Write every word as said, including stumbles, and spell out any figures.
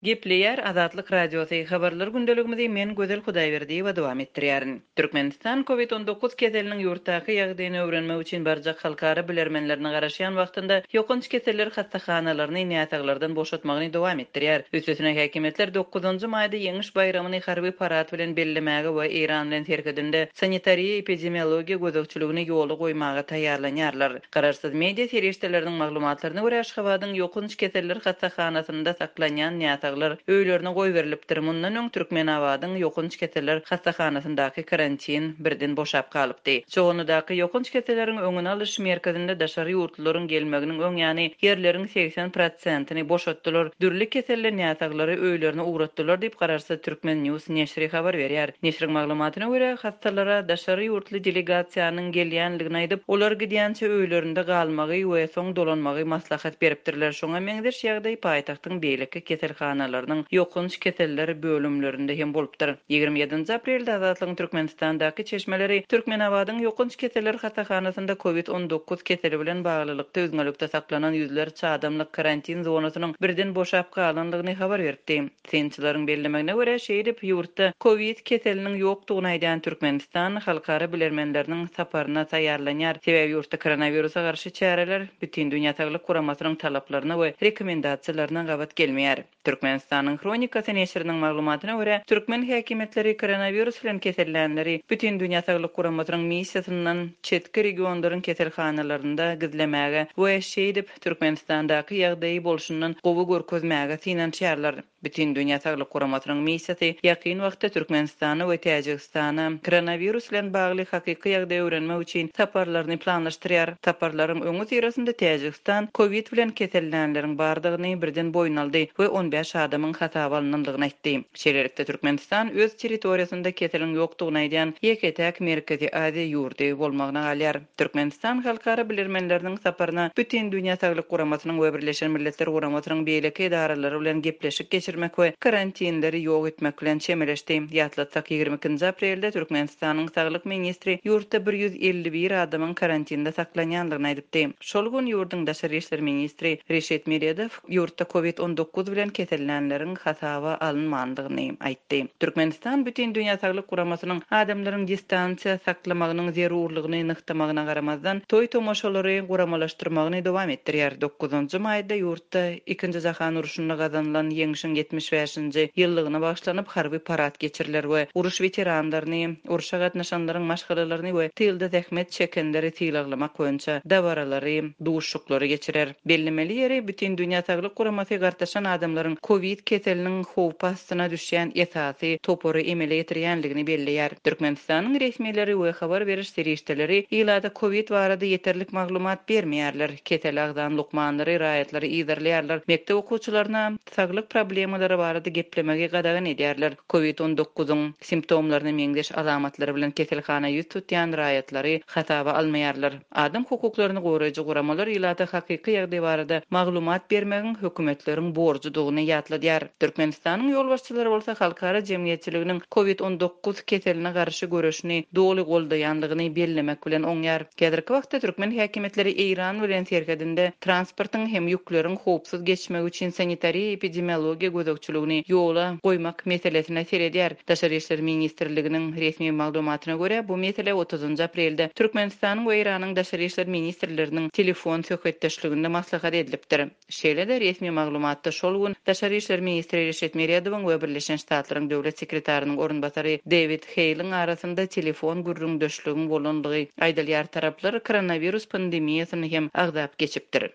Gepleýär Azatlyk Radiosy habarlar gündeligimizi men Gözel Hudaýberdiýewa dowam etdirýärin. Türkmenistan COVID on dokuz keseliniň ýurtdaky ýagdaýyny öwrenmek üçin barjak halkara bilermenlerine garaşýan wagtynda ýokanç keseller hassahanalaryny näsaglardan boşatmagyny dowam etdirýär. Üstesine häkimiýetler dokuzynjy maýda ýeňiş baýramyny harby parad bilen bellemäge we Eýran bilen serhedinde sanitariýa epidemiologiýa gözegçiligini ýola goýmaga taýýarlanýarlar. Garaşsyz media serişdeleriniň maglumatlaryna görä Aşgabadyň ýokanç keseller hassahanasynda saklanýan näsaglar öýlerine goýberilipdir. Mundan öň Türkmenabadyň ýokanç keseller hassahanasyndaky karantin birden boşap galypdy. Çoganlydaky ýokanç keselleriň öňüni alyş merkezinde daşary ýurtlaryň gelmeginiň öň ýany ýerleriň seksen prosentini boşatdylar. Dürli keselli näsaglary öýlerine ugratdylar diýip garaşsyz Türkmen News neşiri habar berýär. Neşiriň maglumatyna görä hassalara daşary ýurtly delegasiýanyň gelýänligini aýdyp, olar gidýänçe öýlerinde galmagy we soň dolanmagy maslahat beripdirler. Şoňa meňzeş ýagdaý paýtagtyň beýleki keselhanalarynyň ýokanç keseller bölümlerinde hem bolupdyr. Ýigrimi ýedinji aprelde Azatlygyň Türkmenistandaky çeşmeleri Türkmenabadyň ýokanç keseller hassahanasynda COVID on dokuz keseli bilen baglylykda üzňelikde saklanan ýüzlerçe adamlyk karantin zonasynyň birden boşap galanlygyny habar beripdi. Synçylaryň bellemegine görä şeýdip ýurtda COVID keseliniň ýokdugyny aýdan Türkmenistan halkara bilermenleriniň saparyna taýýarlanýar. Sebäbi ýurtda koronawirusa garşy çäreler Bütün Dünýä Saglyk Guramasynyň talaplaryna we rekomendasiýalaryna gabat gelmeýär. Türkmenistanyň Hronikasy neşiriniň maglumatyna görä türkmen häkimiýetleri koronawirus bilen kesellänleri Bütün Dünýä Saglyk Guramasynyň missiýasyndan çetki regionlaryň keselhanalarynda gizlemäge we şeýdip Türkmenistandaky ýagdaýy bolşundan gowy görkezmäge synanyşýarlar. Bütün Dünýä Saglyk Guramasynyň missiýasy ýakyn wagtda Türkmenistana we Täjigistana koronawirus bilen bagly hakyky ýagdaýy öwrenmek üçin saparlaryny planlaşdyrýar. Saparlaryň öňi syrasynda Täjigistan COVID bilen kesellänleriň bardygyny birden boýun aldy we on bäş adamyň hasaba alynandygyny aýtdy. Şeýlelikde Türkmenistan öz territoriýasynda keseliň ýokdugyny aýdýan ýeke-täk Merkezi Aziýa ýurdy bolmagyna galýar. Türkmenistan halkara bilermenleriniň saparyna Bütün Dünýä Saglyk Guramasynyň we Birleşen Milletler Guramasynyň beýleki edaralary bilen gepleşik geçirmek we karantinleri ýok etmek bilen çemeleşdi. Ýatlatsak ýigrimi ikinji aprelde Türkmenistanyň Saglyk ministri ýurtda bir ýüz elli bir adamyň karantinde saklanýandygyny aýdypdy. Şol gün ýurduň daşary işler ministri Reşit Meredow ýurtda COVID on dokuz bilen kesellänleriň hasaba alynmandygyny aýtdy. Türkmenistan Bütün Dünýä Saglyk Guramasynyň adamlaryň distansiýa saklamagynyň zerurlygyny nyhtamagyna garamazdan toý tomaşalary guramalaşdyrmagyny dowam etdirýär. Dokuzynjy maýda ýurtda ikinji jahan urşunda gazanylan ýeňşiň ýetmiş bäşinji ýyllygyna bagyşlanyp harby parad geçiriler we uruş weteranlaryny, urşa gatnaşanlaryň maşgalalaryny we tylda zähmet çekenleri sylaglamak boýunça dabaralary, duşuklary geçirer. Bellemeli ýeri Bütün Dünýä Saglyk Guramasy gartaşan adamlaryň COVID keseliniň howpy astyna düşýän esasy topary emele getirýänligini belleýär. Türkmenistanyň resmileri we habar beriş serişdeleri ilata COVID barada ýeterlik maglumat bermeýärler. Kesel agzan lukmanlary raýatlary ýerleýärler. Mekdep okuwçylaryna saglyk problemalary barada geplemegi gadagan edýärler. COVID on dokuzyň simptomlaryna meňzeş alamatlary bilen keselhana ýüz tutýan raýatlary hasaba almaýarlar. Adam hukuklaryny goraýjy guramalar ilata hakyky ýagdaý barada maglumat bermegiň hökümetleriň borjudygyny ýatladýar. Türkmenistanyň ýolbaşçylary bolsa halkara jemgyýetçiliginiň COVID on dokuz keseline garşy göreşini doly goldaýanlygyny bellemek bilen oňýar. Häzirki wagtda türkmen häkimiýetleri Eýran bilen serhedinde transportyň hem ýükleriň howpsuz geçmegi üçin sanitariýa epidemiologiýa gözegçiligini ýola goýmak meselesine seredýär. Daşary işler ministrliginiň resmi maglumatyna görä bu mesele otuzynjy aprelde Türkmenistanyň we Eýranyň daşary işler ministrleriniň telefon söhbetdeşliginde maslahat edilipdir. Şeýle-de resmi maglumatda şol gün Daşary işler ministri Reşit Meredowyň we Birleşen Ştatlaryň döwlet sekretarynyň orunbasary David Hale'in arasynda telefon gürrüňdeşligiň bolandygy aýdylýar. Taraplar koronavirus pandemiýasyny hem agzap geçipdir.